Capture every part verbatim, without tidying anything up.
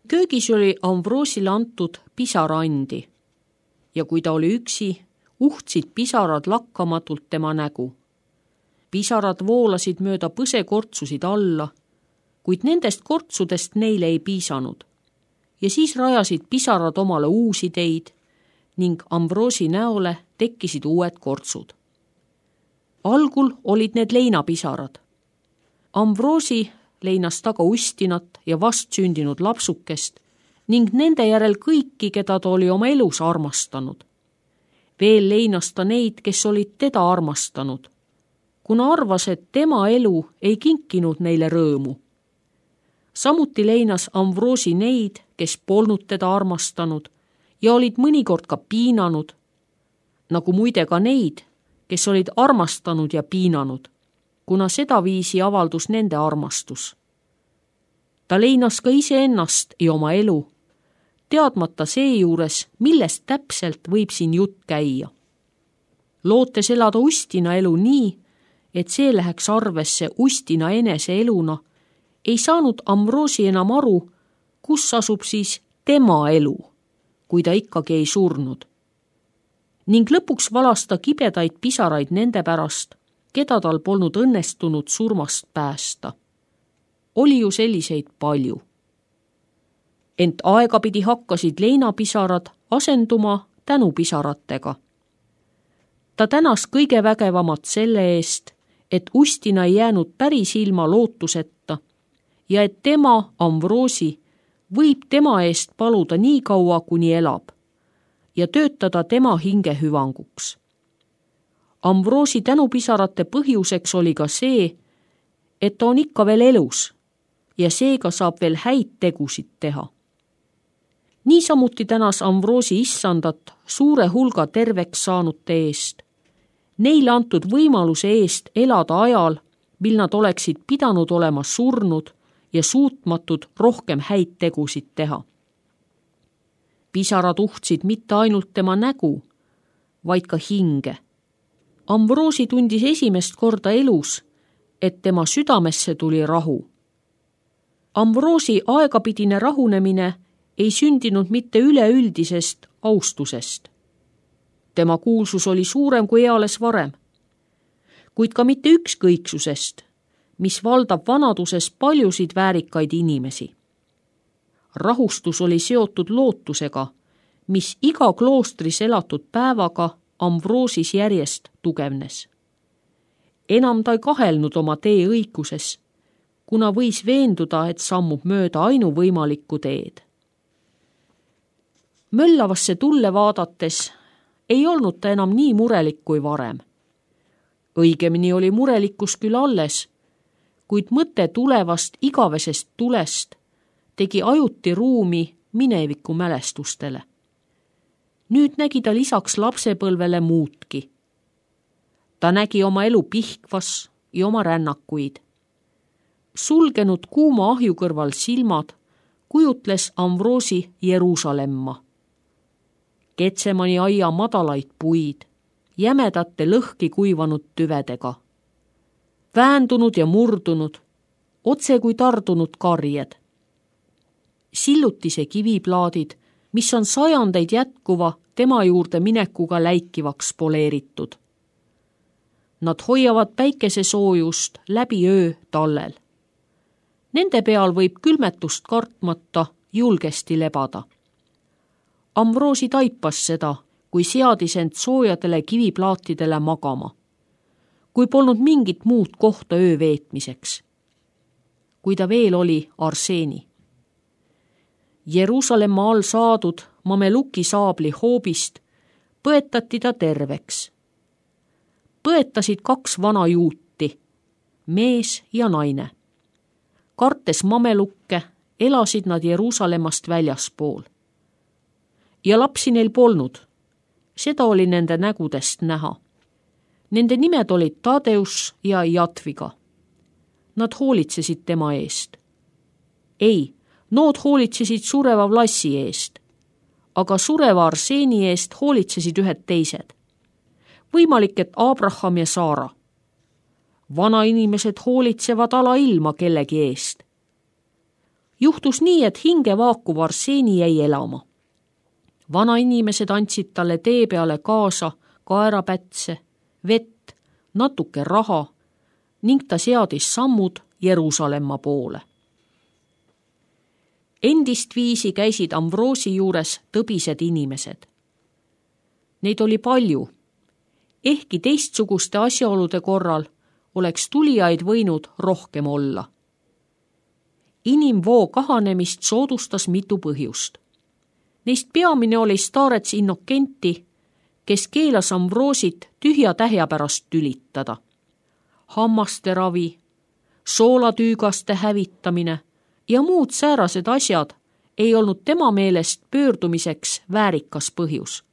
Köögis oli Ambroosile antud pisaraandi ja kui ta oli üksi, uhtsid pisarad lakkamatult tema nägu. Pisarad voolasid mööda põsekortsusid alla, kuid nendest kortsudest neile ei piisanud. Ja siis rajasid pisarad omale uusi teid ning Ambroosi näole tekkisid uued kortsud. Algul olid need leinapisarad. Ambroosi leinas taga ustinat ja vastsündinud lapsukest ning nende järel kõiki, keda ta oli oma elus armastanud. Veel leinas ta neid, kes olid teda armastanud, kuna arvas, et tema elu ei kinkinud neile rõõmu. Samuti leinas Ambroosi neid, kes polnud teda armastanud ja olid mõnikord ka piinanud, nagu muide ka neid, kes olid armastanud ja piinanud, kuna sedaviisi avaldus nende armastus. Ta leinas ka iseennast ja oma elu, teadmata seejuures, millest täpselt võib siin jutt käia. Lootes elada ustina elu nii, et see läheks arvesse ustina enese eluna, ei saanud Ambroosi enam aru, kus asub siis tema elu, kui ta ikkagi ei surnud. Ning lõpuks valas ta kibedaid pisaraid nende pärast, keda tal polnud õnnestunud surmast päästa. Oli ju selliseid palju. Ent aegapidi hakkasid leinapisarad asenduma tänupisaratega. Ta tänas kõige vägevamat selle eest, et ustina ei jäänud päris ilma lootuseta ja et tema, Ambroosi, võib tema eest paluda nii kaua, kuni elab ja töötada tema hinge hüvanguks. Ambroosi tänupisarate põhjuseks oli ka see, et ta on ikka veel elus ja seega saab veel häid tegusid teha. Niisamuti tänas Ambroosi issandat suure hulga terveks saanute eest, neile antud võimaluse eest elada ajal, mil nad oleksid pidanud olema surnud ja suutmatud rohkem häid tegusid teha. Pisarad uhtsid mitte ainult tema nägu, vaid ka hinge. Ambroosi tundis esimest korda elus, et tema südamesse tuli rahu. Ambroosi aegapidine rahunemine ei sündinud mitte üleüldisest austusest. Tema kuulsus oli suurem kui eales varem, kuid ka mitte ükskõiksusest, mis valdab vanaduses paljusid väärikaid inimesi. Rahustus oli seotud lootusega, mis iga kloostris elatud päevaga Ambroosis järjest tugevnes. Enam ta ei kahelnud oma tee õiguses, kuna võis veenduda, et sammub mööda ainuvõimalikku teed. Möllavasse tulle vaadates ei olnud ta enam nii murelik kui varem. Õigemini oli murelikkus küll alles, kuid mõte tulevast igavesest tulest tegi ajuti ruumi mineviku mälestustele. Nüüd nägi ta lisaks lapsepõlvele muutki. Ta nägi oma elu Pihkvas ja oma rännakuid. Sulgenud kuuma ahju kõrval silmad kujutles Ambroosi Jeruusalemma. Ketsemani aia madalaid puid, jämedate lõhki kuivanud tüvedega. Väändunud ja murdunud, otse kui tardunud karjed. Sillutise kiviplaadid, mis on sajandeid jätkuva tema juurde minekuga läikivaks poleeritud. Nad hoiavad päikesesoojust läbi öö tallel. Nende peal võib külmetust kartmata julgesti lebada. Ambroosi taipas seda, kui seadis end soojadele kiviplaatidele magama, kui polnud mingit muud kohta öö veetmiseks. Kui ta veel oli Arseeni. Jeruusalemma all saadud mameluki saabli hoobist põetati ta terveks. Põetasid kaks vana juuti, mees ja naine. Kartes mamelukke elasid nad Jeruusalemmast väljaspool. Ja lapsi neil polnud. Seda oli nende nägudest näha. Nende nimed olid Tadeus ja Jatviga. Nad hoolitsesid tema eest. Ei, nood hoolitsesid sureva Vlassi eest, aga sureva Arseeni eest hoolitsesid ühed teised. Võimalik, et Abraham ja Saara. Vanainimesed hoolitsevad alailma kellegi eest. Juhtus nii, et hinge vaakuv Arseeni jäi elama. Vanainimesed andsid talle tee peale kaasa kaerapätse, vett, natuke raha ning ta seadis sammud Jeruusalemma poole. Endist viisi käisid Amvroosi juures tõbised inimesed. Neid oli palju, ehkki teistsuguste asjaolude korral oleks tulijaid võinud rohkem olla. Inimvoo kahanemist soodustas mitu põhjust. Neist peamine oli staarets Innokenti, kes keelas Amvroosit tühja tähja pärast tülitada. Hammaste ravi, soolatüügaste hävitamine ja muud säärased asjad ei olnud tema meelest pöördumiseks väärikas põhjus,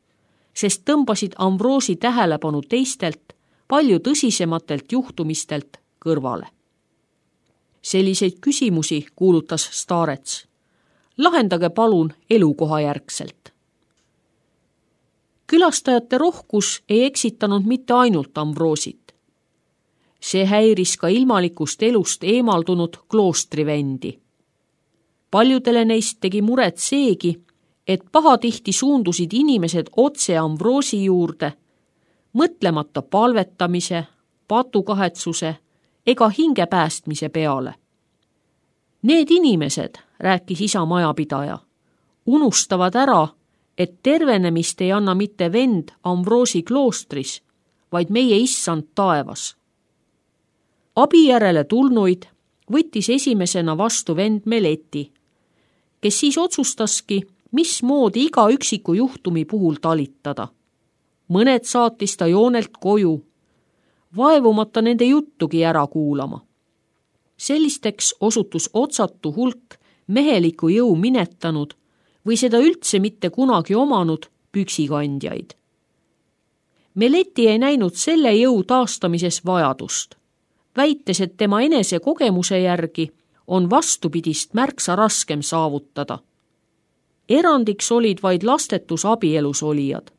sest tõmbasid Amvroosi tähelepanu teistelt, palju tõsisematelt juhtumistelt kõrvale. Selliseid küsimusi kuulutas staarets. Lahendage palun elukoha järgselt. Külastajate rohkus ei eksitanud mitte ainult Amvroosit. See häiris ka ilmalikust elust eemaldunud kloostrivendi. Paljudele neist tegi muret seegi, et pahatihti suundusid inimesed otse Amvroosi juurde, mõtlemata palvetamise, patukahetsuse ega hinge päästmise peale. Need inimesed, rääkis isa majapidaja, unustavad ära, et tervenemist ei anna mitte vend Amvroosi kloostris, vaid meie issand taevas. Abi järele tulnuid võttis esimesena vastu vend Meleti, kes siis otsustaski, mismoodi iga üksiku juhtumi puhul talitada. Mõned saatis ta joonelt koju, vaevumata nende juttugi ära kuulama. Sellisteks osutus otsatu hulk meheliku jõu minetanud või seda üldse mitte kunagi omanud püksikandjaid. Meleti ei näinud selle jõu taastamises vajadust, väites, et tema enese kogemuse järgi on vastupidist märksa raskem saavutada. Erandiks olid vaid lastetus abielus olijad.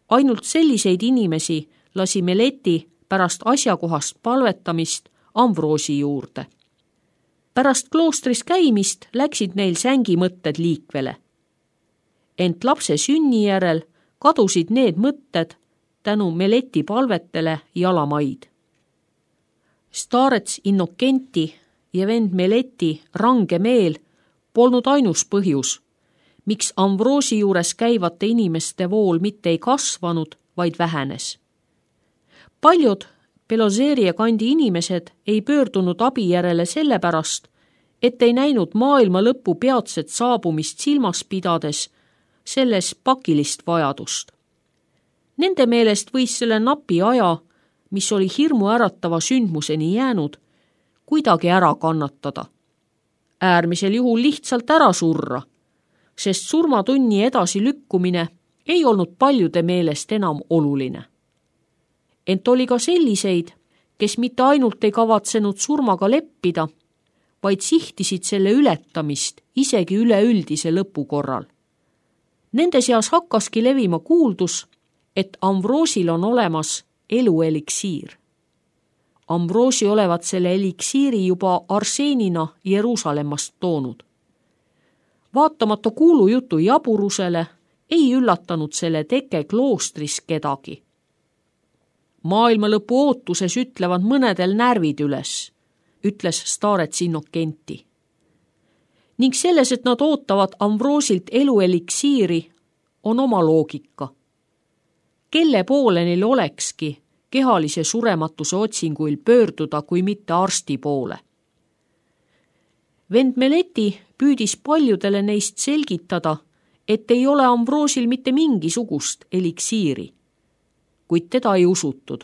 Ainult selliseid inimesi lasi Meleti pärast asjakohast palvetamist Amvroosi juurde. Pärast kloostris käimist läksid neil sängimõtted liikvele. Ent lapse sünni järel kadusid need mõtted tänu Meleti palvetele jalamaid. Staarets Innokenti ja vend Meleti range meel polnud ainus põhjus, miks Amvroosi juures käivate inimeste vool mitte ei kasvanud, vaid vähenes. Paljud Peloseeria kandi inimesed ei pöördunud abi järele sellepärast, et ei näinud maailma lõpu peatset saabumist silmas pidades selles pakilist vajadust. Nende meelest võis selle napi aja, mis oli hirmu äratava sündmuseni jäänud, kuidagi ära kannatada. Äärmisel juhul lihtsalt ära surra, sest surmatunni edasi lükkumine ei olnud paljude meelest enam oluline. Ent oli ka selliseid, kes mitte ainult ei kavatsenud surmaga leppida, vaid sihtisid selle ületamist isegi üleüldise lõpu korral. Nende seas hakkaski levima kuuldus, et Amvroosil on olemas elueliksiir. Amvroosi olevat selle eliksiiri juba Arseenina Jeruusalemmast toonud. Vaatamata kuulujutu jaburusele ei üllatanud selle teke kloostris kedagi. Maailma lõpu ootuses ütlevad mõnedel närvid üles, ütles staarets Innokenti. Ning selles, et nad ootavad Amvroosilt elueliksiiri, on oma loogika. Kelle poole neil olekski kehalise surematuse otsinguil pöörduda, kui mitte arsti poole? Vend Meleti püüdis paljudele neist selgitada, et ei ole Amvroosil mitte mingisugust eliksiiri, kuid teda ei usutud.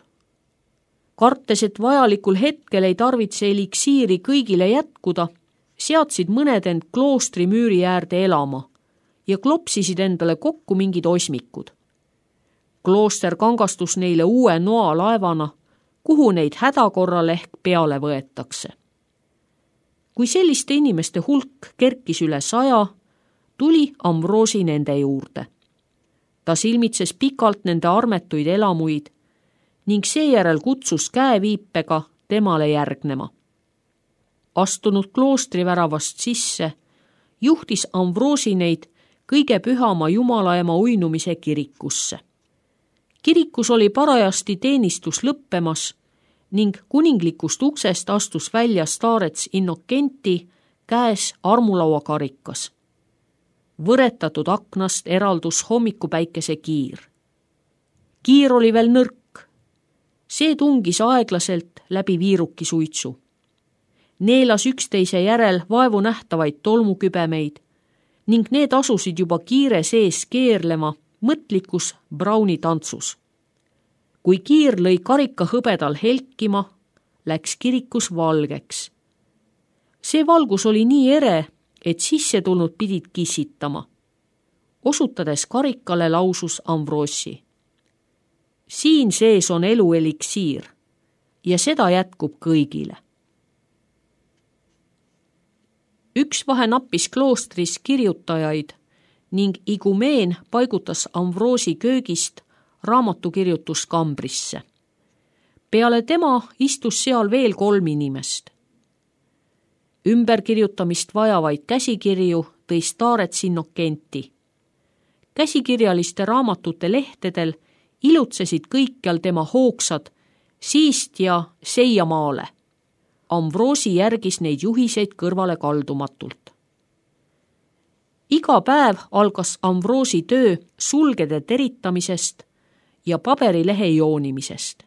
Kartes, et vajalikul hetkel ei tarvitse eliksiiri kõigile jätkuda, seadsid mõned end kloostri müüri äärde elama ja klopsisid endale kokku mingid osmikud. Klooster kangastus neile uue noa laevana, kuhu neid hädakorral ehk peale võetakse. Kui selliste inimeste hulk kerkis üle saja, tuli Amvroosi nende juurde. Ta silmitses pikalt nende armetuid elamuid ning seejärel kutsus käeviipega temale järgnema. Astunud kloostri väravast sisse, juhtis Amvroosi neid kõige pühama jumalaema uinumise kirikusse. Kirikus oli parajasti teenistus lõppemas ning kuninglikust uksest astus välja staarets Innokenti käes armulauakarikas. Võretatud aknast eraldus hommikupäikese kiir. Kiir oli veel nõrk. See tungis aeglaselt läbi viiruki suitsu. Neelas üksteise järel vaevu nähtavaid tolmukübemeid ning need asusid juba kiire sees keerlema mõtlikus Brauni tantsus. Kui kiir lõi karika hõbedal helkima, läks kirikus valgeks. See valgus oli nii ere, et sisse tulnud pidid kissitama. Osutades karikale lausus Amvroosi. Siin sees on elu eliksiir ja seda jätkub kõigile. Üks vahe nappis kloostris kirjutajaid ning igumeen paigutas Amvroosi köögist raamatukirjutuskambrisse. Peale tema istus seal veel kolm inimest. Ümberkirjutamist vajavaid käsikirju tõi staarets Innokenti. Käsikirjaliste raamatute lehtedel ilutsesid kõikjal tema hoogsad siist ja seiamaale. Amvroosi järgis neid juhiseid kõrvale kaldumatult. Iga päev algas Amvroosi töö sulgede teritamisest ja paberilehe joonimisest.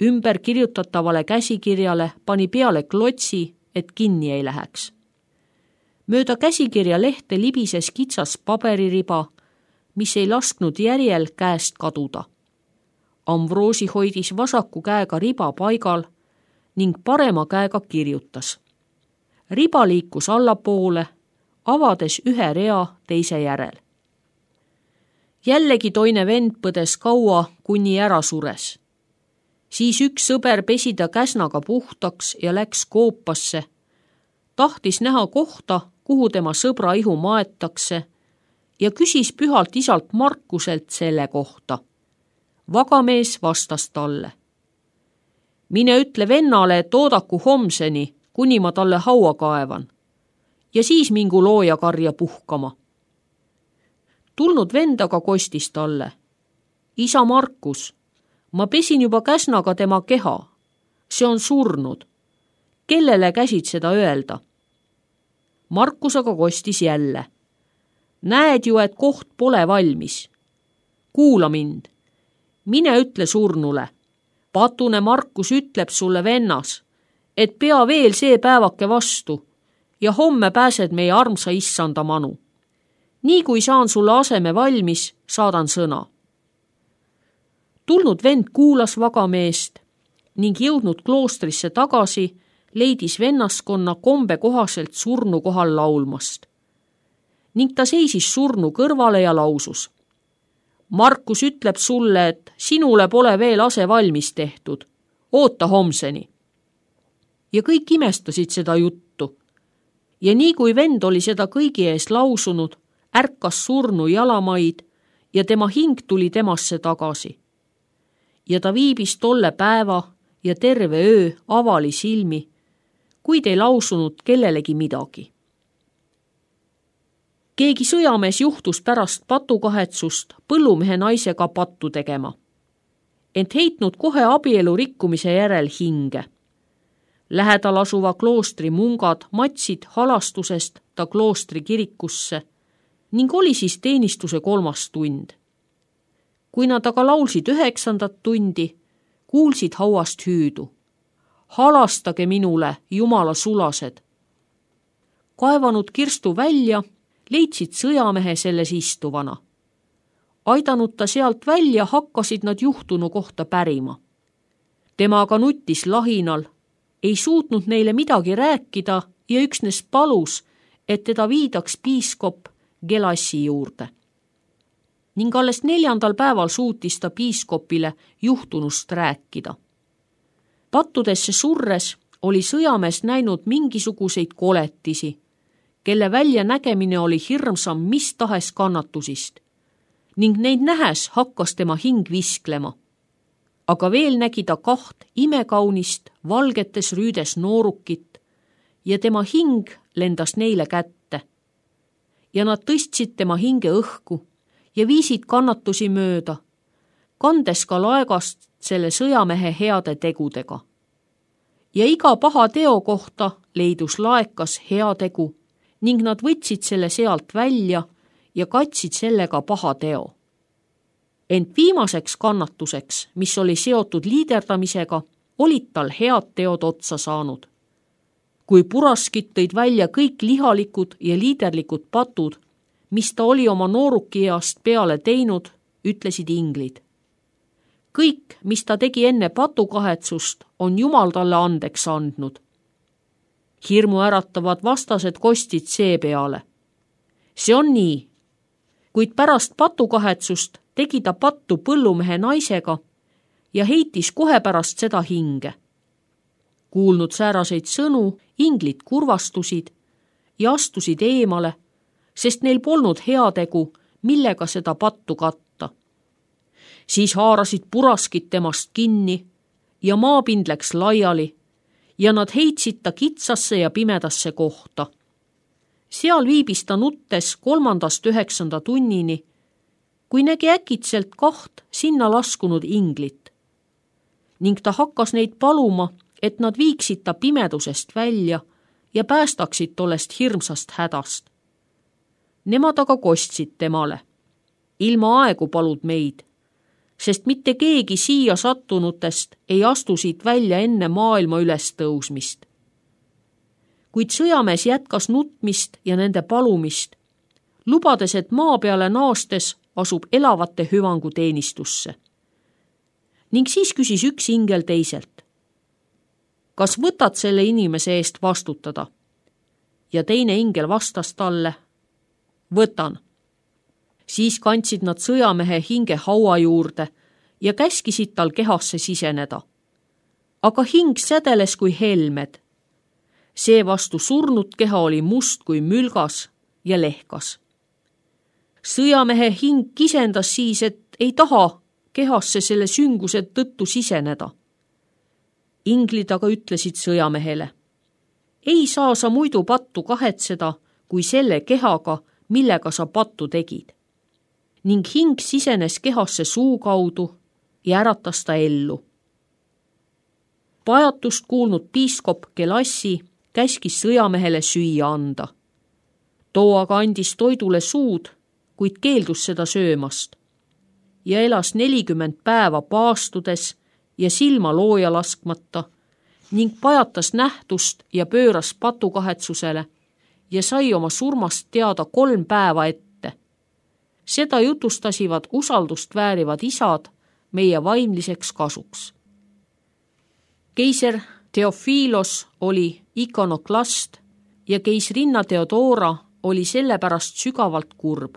Ümber kirjutatavale käsikirjale pani peale klotsi, et kinni ei läheks. Mööda käsikirja lehte libises kitsas pabeririba, mis ei lasknud järjel käest kaduda. Amvroosi hoidis vasaku käega riba paigal ning parema käega kirjutas. Riba liikus allapoole, avades ühe rea teise järel. Jällegi toine vend põdes kaua, kuni ära sures. Siis üks sõber pesi ta käsnaga puhtaks ja läks koopasse. Tahtis näha kohta, kuhu tema sõbra ihu maetakse ja küsis pühalt isalt Markuselt selle kohta. Vagamees vastas talle. Mine ütle vennale, et oodaku homseni, kuni ma talle haua kaevan ja siis mingu loojakarja puhkama. Tulnud vend aga kostis talle. Isa Markus, ma pesin juba käsnaga tema keha. See on surnud. Kellele käsid seda öelda? Markus aga kostis jälle. Näed ju, et koht pole valmis. Kuula mind. Mine ütle surnule. Patune Markus ütleb sulle vennas, et pea veel see päevake vastu ja homme pääsed meie armsa issanda manu. Nii kui saan sulle aseme valmis, saadan sõna. Tulnud vend kuulas vagameest ning jõudnud kloostrisse tagasi, leidis vennaskonna kombe kohaselt surnu kohal laulmast. Ning ta seisis surnu kõrvale ja lausus. Markus ütleb sulle, et sinule pole veel ase valmis tehtud. Oota homseni. Ja kõik imestasid seda juttu. Ja nii kui vend oli seda kõigi ees lausunud, ärkas surnu jalamaid ja tema hing tuli temasse tagasi. Ja ta viibis tolle päeva ja terve öö avali silmi, kuid ei lausunud kellelegi midagi. Keegi sõjamees juhtus pärast patukahetsust põllumehe naisega pattu tegema, ent heitnud kohe abielu rikkumise järel hinge. Lähedal asuva kloostri mungad matsid halastusest ta kloostri kirikusse ning oli siis teenistuse kolmas tund. Kui nad aga laulsid üheksandat tundi, kuulsid hauast hüüdu. Halastage minule, Jumala sulased. Kaevanud kirstu välja, leidsid sõjamehe selles istuvana. Aidanud ta sealt välja, hakkasid nad juhtunu kohta pärima. Tema aga nuttis lahinal, ei suutnud neile midagi rääkida ja üksnes palus, et teda viidaks piiskop Gelassi juurde. Ning alles neljandal päeval suutis ta piiskopile juhtunust rääkida. Pattudesse surres oli sõjamees näinud mingisuguseid koletisi, kelle väljanägemine oli hirmsam mis tahes kannatusist, ning neid nähes hakkas tema hing visklema. Aga veel nägi ta kaht imekaunist valgetes rüüdes noorukit ja tema hing lendas neile kätte. ja nad tõstsid tema hinge õhku ja viisid kannatusi mööda, kandes ka laegast selle sõjamehe heade tegudega. Ja iga paha teo kohta leidus laekas hea tegu ning nad võtsid selle sealt välja ja katsid sellega paha teo. Ent viimaseks kannatuseks, mis oli seotud liiderdamisega, olid tal head teod otsa saanud. Kui Puraskit tõid välja kõik lihalikud ja liiderlikud patud, mis ta oli oma noorukiast peale teinud, ütlesid inglid. Kõik, mis ta tegi enne patukahetsust, on Jumal talle andeks andnud. Hirmu äratavad vastased kostsid seepeale. See on nii, kuid pärast patukahetsust tegi ta pattu põllumehe naisega ja heitis kohe pärast seda hinge. Kuulnud sääraseid sõnu, inglid kurvastusid ja astusid eemale, sest neil polnud heategu, millega seda pattu katta. Siis haarasid Puraskit temast kinni ja maapind läks laiali ja nad heitsid ta kitsasse ja pimedasse kohta. Seal viibis ta nuttes kolmandast üheksanda tunnini, kui nägi äkitselt kaht sinna laskunud inglit. Ning ta hakkas neid paluma, et nad viiksid ta pimedusest välja ja päästaksid tollest hirmsast hädast. Nemad aga kostsid temale. Ilma aegu palud meid, sest mitte keegi siia sattunutest ei astu siit välja enne maailma ülestõusmist. Kuid sõjamees jätkas nutmist ja nende palumist, lubades, et maa peale naastes asub elavate hüvangu teenistusse. Ning siis küsis üks ingel teiselt. Kas võtad selle inimese eest vastutada? Ja teine ingel vastas talle. Võtan. Siis kandsid nad sõjamehe hinge haua juurde ja käskisid tal kehasse siseneda. Aga hing sädeles kui helmed. Seevastu surnud keha oli must kui mülgas ja lehkas. Sõjamehe hing kisendas siis, et ei taha kehasse selle sünguse tõttu siseneda. Inglid aga ütlesid sõjamehele. Ei saa sa muidu pattu kahetseda, kui selle kehaga, millega sa pattu tegid. Ning hing sisenes kehasse suu kaudu ja äratas ta ellu. Pajatust kuulnud piiskop Gelassi käskis sõjamehele süüa anda. Too aga andis toidule suud, kuid keeldus seda söömast ja elas nelikümmend päeva paastudes ja silma looja laskmata ning pajatas nähtust ja pööras patukahetsusele ja sai oma surmast teada kolm päeva ette. Seda jutustasivad usaldust väärivad isad meie vaimliseks kasuks. Keiser Theophilos oli ikonoklast ja keisrinna Theodora oli sellepärast sügavalt kurb.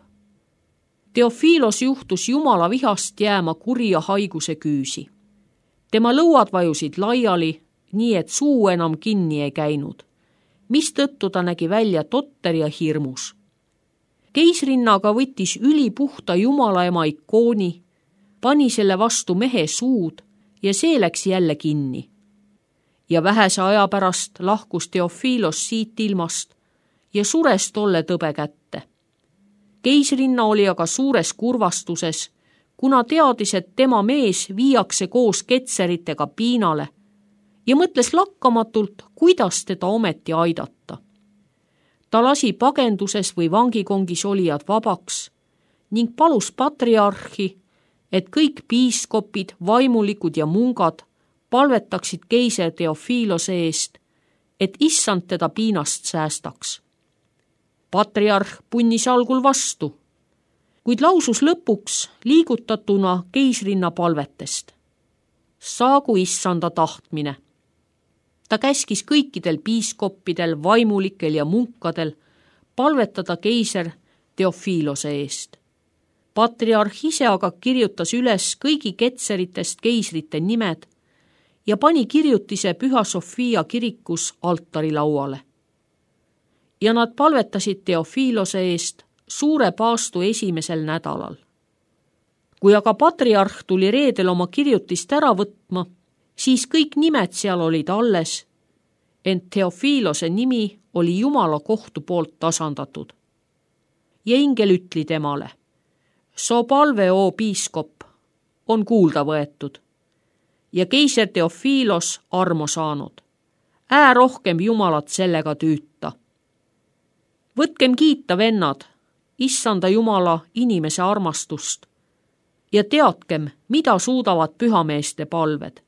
Theophilos juhtus Jumala vihast jääma kurja haiguse küüsi. Tema lõuad vajusid laiali, nii et suu enam kinni ei käinud, mistõttu ta nägi välja totter ja hirmus. Keisrinnaga võttis ülipuhta Jumala ema ikooni, pani selle vastu mehe suud ja see läks jälle kinni. Ja vähese aja pärast lahkus Theophilos siit ilmast ja sures tolle tõbe kätte. Keisrinna oli aga suures kurvastuses, kuna teadis, et tema mees viiakse koos ketseritega piinale ja mõtles lakkamatult, kuidas teda ometi aidata. Ta lasi pagenduses või vangikongis olijad vabaks ning palus patriarhi, et kõik piiskopid, vaimulikud ja mungad palvetaksid keiser Theophilose eest, et issand teda piinast säästaks. Patriarh punnis algul vastu, kuid lausus lõpuks liigutatuna keisrinna palvetest. Saagu issanda tahtmine. Ta käskis kõikidel piiskoppidel, vaimulikel ja munkadel palvetada keiser Theophilose eest. Patriarh ise aga kirjutas üles kõigi ketseritest keisrite nimed ja pani kirjutise Püha Sofia kirikus altarilauale. Ja nad palvetasid Theophilose eest suure paastu esimesel nädalal. Kui aga patriarh tuli reedel oma kirjutist ära võtma, siis kõik nimed seal olid alles, ent Theophilose nimi oli Jumala kohtu poolt tasandatud. ja ingel ütli temale. So palve, oo piiskop, on kuulda võetud ja keiser Teofilos armo saanud. Ää rohkem Jumalat sellega tüüta. Võtkem kiita, vennad, issanda Jumala inimese armastust ja teadkem, mida suudavad pühameeste palved.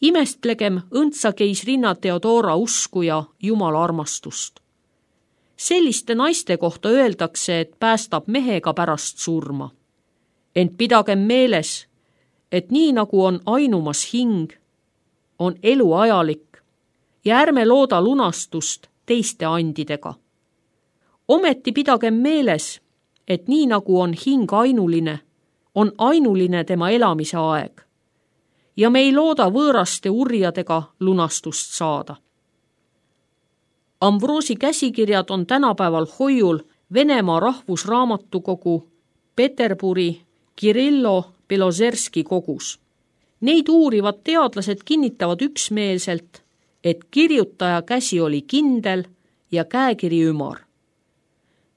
Imestlegem õndsa keisrinna Theodora usku ja Jumala armastust. Selliste naiste kohta öeldakse, et päästab mehega pärast surma. Ent pidagem meeles, et nii nagu on ainumas hing, on elu ajalik ja ärme looda lunastust teiste andidega. Ometi pidagem meeles, et nii nagu on hing ainuline, on ainuline tema elamise aeg ja me ei looda võõraste urjadega lunastust saada. Amvroosi käsikirjad on tänapäeval hoiul Venemaa rahvusraamatukogu Peterburi Kirillo Belozerski kogus. Neid uurivad teadlased kinnitavad üksmeelselt, et kirjutaja käsi oli kindel ja käekiri ümar,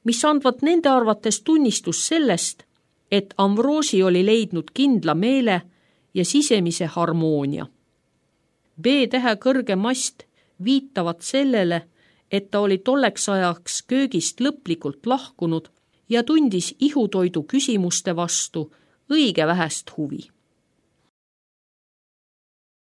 mis andvad nende arvates tunnistus sellest, et Amvroosi oli leidnud kindla meele ja sisemise harmoonia. B-tähe kõrge mast viitavad sellele, et ta oli tolleks ajaks köögist lõplikult lahkunud ja tundis ihutoidu küsimuste vastu õige vähest huvi.